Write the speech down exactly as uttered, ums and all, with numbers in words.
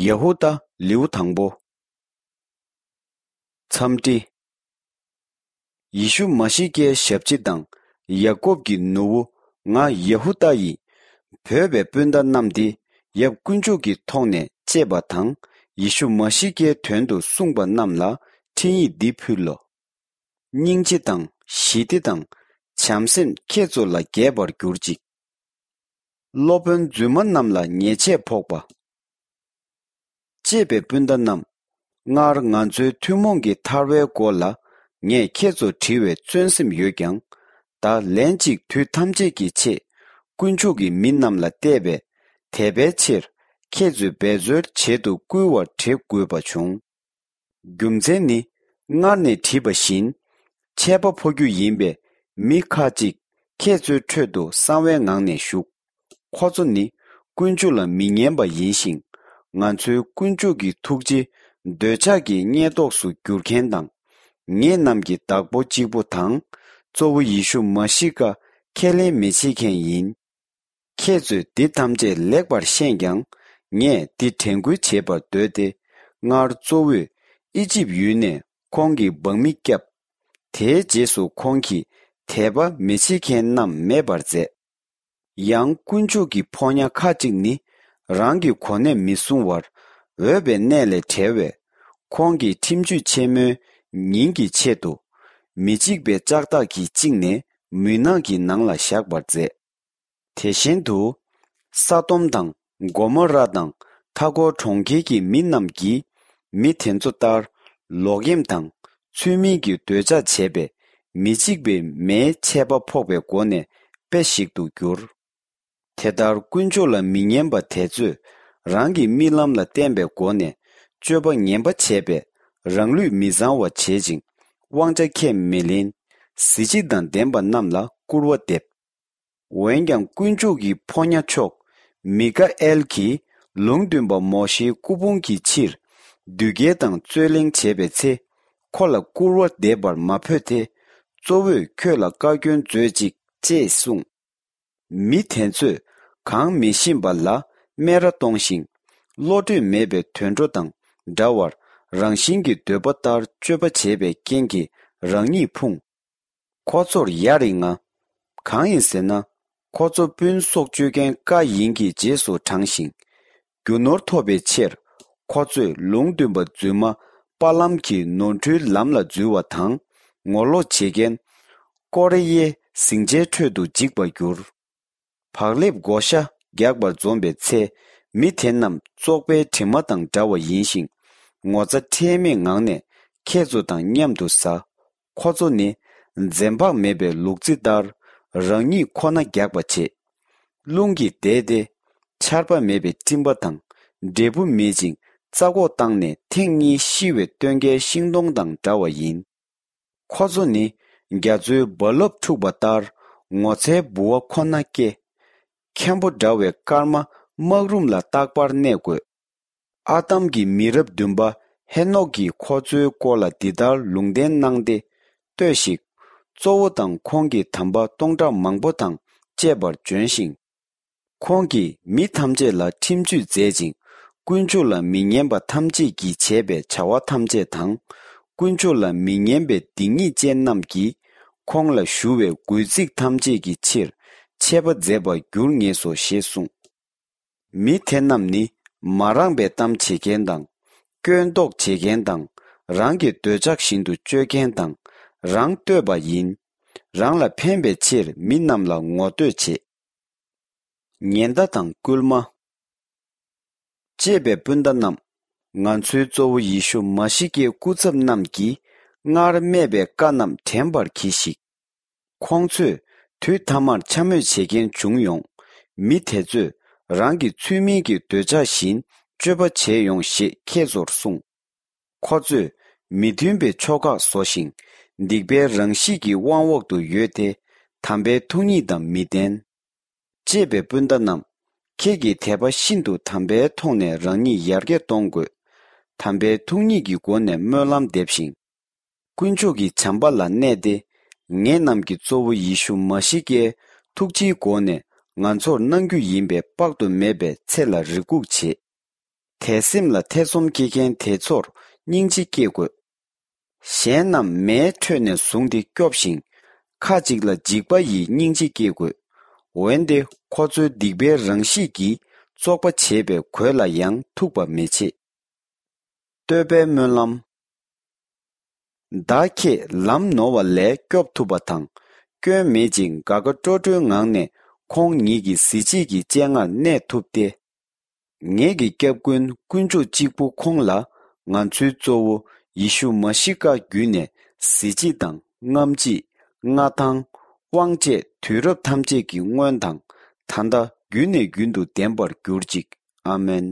ཡ་ཧུ་དཱ་ལེའུ་དང་པོ། འཚམས་འདྲི། ཡེ་ཤུ་མ་ཤི་ཀའི་ཞབས་ཕྱི་དང་། ཡ་ཀོབ་ཀྱི་ནུ་བོ། ང་ཡ་ཧུ་དཱ་ཡིས། བོས་པའི་སྤུན་ཟླ་རྣམས་ཏེ། ཡབ་དཀོན་མཆོག་གི་ཐོག་ནས་གཅེས་པ་དང་། ཡེ་ཤུ་མ་ཤི་ཀའི་དོན་དུ་གསུངས་པ་རྣམས་ལ་འཕྲིན་ཡིག་འདི་ཕུལ་ལོ། སྙིང་རྗེ་དང་ཞི་བདེ་དང་བྱམས་སེམས་ཁྱེད་ཚོ་ལ་རྒྱས་པར་གྱུར་ཅིག། སློབ་དཔོན་རྫུན་མ་རྣམས་ལ་ཉེས་ཆད་ཕོག་པ། གཅེས་པའི་སྤུན་ཟླ་རྣམས། སྔར་ང་ཚོའི་ཐུན་མོང་གི་ཐར་བའི་སྐོར་ལ་ངས་ཁྱེད་ཚོར་དྲི་བའི་བརྩོན་སེམས་ཡོད་ཀྱང་། ད་ལན་གཅིག་དུས་ཐམས་ཅད་ཀྱི་ཆེད་དཀོན་མཆོག་གི་མི་རྣམས་ལ་གཏད་པའི་དད་པའི་ཕྱིར་ཁྱེད་ཚོའི་འབད་རྩོལ་བྱེད་དུ་བསྐུལ་བར་བྲེལ་དགོས་པ་བྱུང་། རྒྱུ་མཚན་ནི། སྔར་ནས་བྲིས་པ་བཞིན། ཆད་པ་ཕོག་རྒྱུ་ཡིན་པས་མི་ཁ་ཅིག་ཁྱེད་ཚོའི་ཁྲོད་དུ་གསང་བའི་ངང་ནས་ཞུགས། ཁོ་ཚོ་ནི་དཀོན་མཆོག་ལ་མི་ཉན་པ་ཡིན་ཞིང་། ང་ཚོའི་དཀོན་མཆོག་གི་ཐུགས་རྗེ་འདོད་ཆགས་ཀྱི་བརྙས་ཐོགས་སུ་འགྱུར་མཁན་དང་། ངེད་རྣམས་ཀྱི་བདག་པོ་གཅིག་པུ་དང་གཙོ་བོ་ཡེ་ཤུ་མ་ཤི་ཀ་ཁས་ལེན་མི་བྱེད་མཁན་ཡིན། ཁྱེད་ཚོས་འདི་ཐམས་ཅད་ལེགས་པར་ཤེས་ཀྱང་། ངས་འདི་དྲན་སྐུལ་བྱེད་པར་འདོད་དེ། སྔར་གཙོ་བོས་ཨི་ཇིབ་ཡུལ་ནས་ཁོང་གི་འབངས་མི་བསྐྱབས། དེའི་རྗེས་སུ་ཁོང་གིས་དད་པ་མི་བྱེད་མཁན་རྣམས་མེད་པར་མཛད། ཡང་དཀོན་མཆོག་གི་ཕོ་ཉ་ཁ་ཅིག་ནི་རང་གི་གོ་གནས་མི་སྲུང་བར་འོས་པའི་གནས་ལས་བྲལ་བས། ཁོང་གིས་ཁྲིམས་གཅོད་ཆེན་མོའི་ཉིན་གྱི་ཆེད་དུ། མི་འཇིགས་པའི་ལྕགས་ཐག་གིས་བཅིངས་ནས་མུན་ནག་གི་ནང་ལ་བཞག་པར་མཛད། དེ་བཞིན་དུ། ས་དོམ་དང་གོ་མོ་ར་དང་མཐའ་འཁོར་གྲོང་ཁྱེར་གྱི་མི་རྣམས་ཀྱིས་མི་དེ་ཚོ་ལྟར་ལོག་གཡེམ་དང་ཚུལ་མིན་གྱི་འདོད་ཆགས་བྱས་པས། མི་འཇིགས་པའི་མེའི་ཆད་པ་ཕོག་པའི་སྒོ་ནས་དཔེ་ཞིག་ཏུ་གྱུར། དེ་ལྟར་དཀོན་མཆོག་ལ་མི་ཉན་པ་དེ་ཚོས་རང་གི་རྨི་ལམ་ལ་བརྟེན་པའི་སྒོ་ནས་སྤྱོད་པ་ངན་པ་བྱས་པས། རང་ལུས་མི་གཙང་བ་བྱེད་ཅིང་། དབང་ཆ་ཁས་མི་ལེན། གཟི་བརྗིད་དང་ལྡན་པ་རྣམས་ལ་སྐུར་བ་འདེབས། འོན་ཀྱང་དཀོན་མཆོག་གི་ཕོ་ཉ་མཆོག་མི་ཀ་ཨེལ་གྱིས་ལུང་སྟོན་པ་མོ་ཤེའི་སྐུ་ཕུང་གི་ཕྱིར་བདུད་རྒྱལ་དང་རྩོད་གླེང་བྱས་པའི་ཚེ། ཁོ་ལ་སྐུར་བ་འདེབས་པར་མ་ཕོད་དེ། གཙོ་བོས་ཁྱོད་ལ་བཀའ་བཀྱོན་མཛོད་ཅིག་ཅེས་གསུངས། མི་དེ་ཚོས་གང་མི་ཤེས་པ་ལ་སྨད་ར་གཏོང་ཞིང་། བློ་གྲོས་མེད་པའི་དུད་འགྲོ་དང་འདྲ་བར། རང་བཞིན་གྱི་འདོད་པ་ལྟར་སྤྱོད་པ་བྱས་པའི་རྐྱེན་གྱིས་རང་ཉིད་ཕུང་། ཁོ་ཚོར་ཡ་རིང་ང་། གང་ཡིན་ཟེར་ན། ཁོ་ཚོ་སྤུན་སྲོག་གཅོད་མཁན་ཀ་ཡིན་གྱི་རྗེས་སུ་འབྲངས་ཤིང་། རྒྱུ་ནོར་ཐོབ་པའི་ཕྱིར། ཁོ་ཚོས་ལུང་སྟོན་པ་རྫུན་མ་པ་ལམ་གྱི་ནོར་འཁྲུལ་ལམ་ལ་འཛུལ་བ་དང་། ངོ་ལོག་བྱེད་མཁན་ཀོ་རེ་ཡའི་ཟིང་ཆའི་ཁྲོད་དུ་འཇིག་པར་འགྱུར། བག་ལེབ་བགོ་བཤའ་རྒྱག་པར་འཛོམས་པའི་ཚེ། མི་དེ་རྣམས་བཙོག་པའི་དྲི་མ་དང་འདྲ་བ་ཡིན་ཞིང་། ངོ་ཚ་ཁྲེལ་མེད་ངང་ནས་ཁྱེད་ཚོ་དང་མཉམ་དུ་ཟ། ཁོ་ཚོ་ནི་འཛེམ་བག་མེད་པའི་ལུག་རྫི་ལྟར་རང་ཉིད་ཁོ་ན་རྒྱག་པ་བྱེད། རླུང་གིས་བདས་ཏེ་ཆར་པ་མེད་པའི་སྤྲིན་པ་དང་། འབྲས་བུ་མེད་ཅིང་རྩ་འགོག་བཏང་ནས་ཐེངས་གཉིས་ཤི་བའི་སྟོན་ཀའི་ཤིང་སྡོང་དང་འདྲ་བ་ཡིན། ཁོ་ཚོ་ནི་རྒྱ་མཚོའི་རྦ་རླབས་འཁྲུགས་པ་ལྟར་ངོ་ཚའི་ལྦུ་བ་ཁོ་ན་སྐྱེ། མཁན་པོ་འདྲ་བའི་སྐར་མ་སྨག་རུམ་ལ་རྟག་པར་གནས་དགོས། ཨ་དམ་གྱི་མི་རབས་བདུན་པ་ཧེ་ནོག་གིས་ཁོ་ཚོའི་སྐོར་ལ་འདི་ལྟར་ལུང་བསྟན་གནང་སྟེ། ལྟོས་ཤིག། གཙོ་བོ་དང་ཁོང་གི་དམ་པ་སྟོང་ཕྲག་མང་པོ་དང་བཅས་པར་བྱོན་ཞིང་། ཁོང་གིས་མི་ཐམས་ཅད་ལ་ཁྲིམས་གཅོད་མཛད་ཅིང་། དཀོན་མཆོག་ལ་མི་ཉན་པ་ཐམས་ཅད་ཀྱིས་བྱས་པའི་བྱ་བ་ཐམས་ཅད་དང་། དཀོན་མཆོག་ལ་མི་ཉན་པའི་སྡིག་ཉེས་ཅན་རྣམས་ཀྱིས་ཁོང་ལ་ཞུ་བའི་རྒོལ་ཚིག་ཐམས་ཅད་ཀྱི་ཕྱིར་ཆད་པ་མཛད་པར་འགྱུར་ངེས་སོ་ཞེས་གསུངས། མི་དེ་རྣམས་ནི་མ་རངས་པའི་གཏམ་བྱེད་མཁན་དང་། སྐྱོན་འདོགས་བྱེད་མཁན་དང་། རང་གི་འདོད་ཆགས་བཞིན་དུ་སྤྱོད་མཁན་དང་། རང་བསྟོད་པ་ཡིན། རང་ལ་ཕན་པའི་ཕྱིར་མི་རྣམས་ལ་ངོ་བསྟོད་བྱེད། ཉེན་བརྡ་དང་སྐུལ་མ། གཅེས་པའི་སྤུན་ཟླ་རྣམས། ང་ཚོའི་གཙོ་བོ་ཡེ་ཤུ་མ་ཤི་ཀའི་སྐུ་ཚབ་རྣམས་ཀྱིས་སྔར་སྨྲས་པའི་བཀའ་རྣམས་དྲན་པར་གྱིས་ཤིག། ཁོང་ཚོས་དུས་ཐ་མར་འཕྱ་སྨོད་བྱེད་མཁན་བྱུང་ཡོང་། མི་དེ་ཚོས་རང་གི་ཚུལ་མིན་གྱི་འདོད་ཆགས་བཞིན་སྤྱོད་པ་བྱས་ཡོང་ཞེས་ཁྱེད་ཚོར་གསུངས། ཁོ་ཚོས་མི་མཐུན་པའི་ཕྱོགས་ཁག་བཟོ་ཞིང་། སྡིག་པའི་རང་གཤིས་ཀྱི་དབང་འོག་ཏུ་ཡོད་དེ། དམ་པའི་ཐུགས་ཉིད་དང་མི་ལྡན། གཅེས་པའི་སྤུན་ཟླ་རྣམས། ཁྱེད་ཀྱིས་དད་པ་ཤིན་ཏུ་དམ་པའི་ཐོག་ནས་རང་ཉིད་ཡར་རྒྱས་གཏོང་དགོས། དམ་པའི་ཐུགས་ཉིད་ཀྱི་སྒོ་ནས་སྨོན་ལམ་འདེབས་ཤིང་། དཀོན་མཆོག་གི་བྱམས་པ་ལ་གནས་ཏེ། ངེད་རྣམས་ཀྱི་གཙོ་བོ་ཡེ་ཤུ་མ་ཤི་ཀའི་ཐུགས་རྗེའི་སྒོ་ནས་ང་ཚོར་གནང་རྒྱུ་ཡིན་པའི་དཔག་ཏུ་མེད་པའི་ཚེ་ལ་རེ་སྒུག་བྱེད། དད་སེམས་ལ་ཐེ་ཚོམ་སྐྱེ་མཁན་དེ་ཚོར་སྙིང་རྗེ་སྐྱེ་དགོས། གཞན་རྣམས་མེའི་ཁྲོད་ནས་བཟུང་སྟེ་སྐྱོབས་ཤིང་། ཁ་ཅིག་ལ་འཇིགས་པ་ཡིས་སྙིང་རྗེ་སྐྱེ་དགོས། འོན་ཏེ་ཁོ་ཚོའི་སྡིག་པའི་རང་གཤིས་ཀྱིས་བཙོག་པ་བྱེད་པའི་གོས་ལ་ཡང་ཐུག་པ་མི་བྱེད། བསྟོད་པའི་སྨོན་ལམ། བདག་ཁྱེད་ལམ་ནོར་བ་ལས་སྐྱོབ་ཐུབ་པ་དང་། སྐྱོན་མེད་ཅིང་དགའ་དགའ་སྤྲོ་སྤྲོའི་ངང་ནས་ཁོང་ཉིད་ཀྱི་གཟི་བརྗིད་ཀྱི་སྤྱན་སྔར་གནས་ཐུབ་སྟེ། ངེད་ཀྱི་སྐྱབས་མགོན་དཀོན་མཆོག་གཅིག་པུ་ཁོང་ལ་ང་ཚོའི་གཙོ་བོ་ཡེ་ཤུ་མ་ཤི་ཀ་བརྒྱུད་ནས་གཟི་བརྗིད་དང་རྔམ་བརྗིད། མངའ་ཐང་། དབང་བཅས་དུས་རབས་ཐམས་ཅད་ཀྱི་སྔོན་དང་ད་ལྟ་རྒྱུན་ནས་རྒྱུན་དུ་ལྡན་པར་གྱུར་ཅིག་ཨ་མེན།